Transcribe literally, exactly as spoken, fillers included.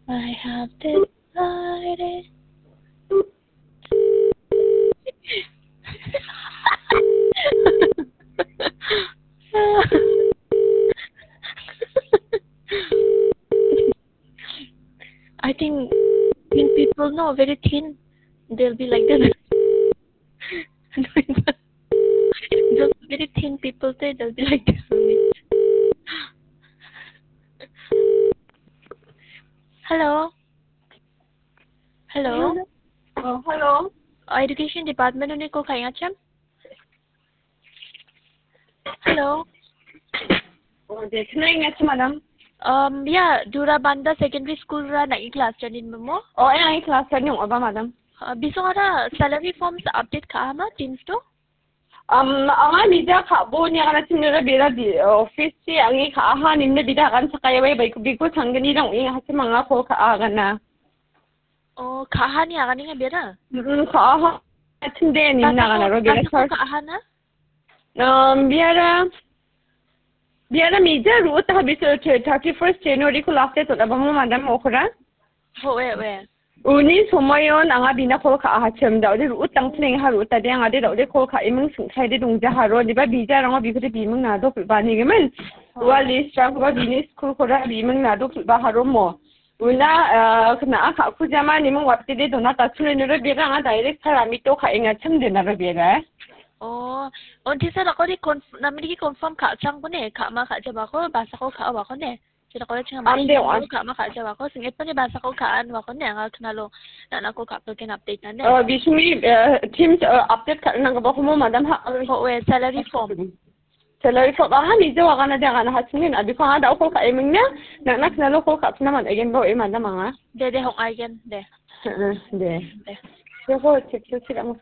I have decided. I think thin people, no, very thin. They'll be like this. Those very thin people, they, they'll be like this only. Hello. Hello. Oh, hello. Uh, Education Department-oni call ka·enga, cham? Hello. Oh, de, kena ingat, madam. Um, ya, Durabanda Secondary School ra nang·i class-rangni mimo? Oh, ya, nang·i class-rangni ong·aba, madam. Uh, bisongara salary forms update ka·ama, Teams to? Um, anga mija ka·bo niagana timnera bera di, office-chi ange ka·aha nimne bida agan sakayawe baiko biko sanggnirang ong·enga hachim anga call ka·a agana. Oh, ka·aha ni aganenga bera? Mm, ka·aha. Timde nimna agana ro bera basako sar. Ka·aha na? Um, biara, biara mija ru·ota biso thirty-first January ko last date ota bamo madam okora. Ho, we, we. Uni somoion anga bina call ka·ahachim da·ode ru·utang plengaha ru·utade angade da·ode call ka·eming sing·saide dongjaharo diba bijarango bikode biming nadok ri·banigimin. Ua list-rangkoba bini school-kora biming nadok ri·baharo mo. Una, ah, kena·a ka·kujama niming watede dona tachule nore bera anga direct sar amito ka·engachim denaro bera. Oh, on tisa dakode conf-, namniki confirm ka·changkone, ka·ma ka·jabako, basako ka·obakone. Sira kau cakap ande wan. Kak ma kak jawab kau singit pani bahasa kau kaan wakon ne angal kenalo nak nak kau kak pelken update nande. Oh, bismi, eh, Teams, eh, update ka nang ba kumo madam ha. Kau we salary form. Salary form anga mija wakana dia kana ha singin abi kau ada kau ka emingnya nak nak kenalo kau kak pina man again bau e madam anga. De de hong again de. Heeh, de. De. Ya kau cek cek cek anga.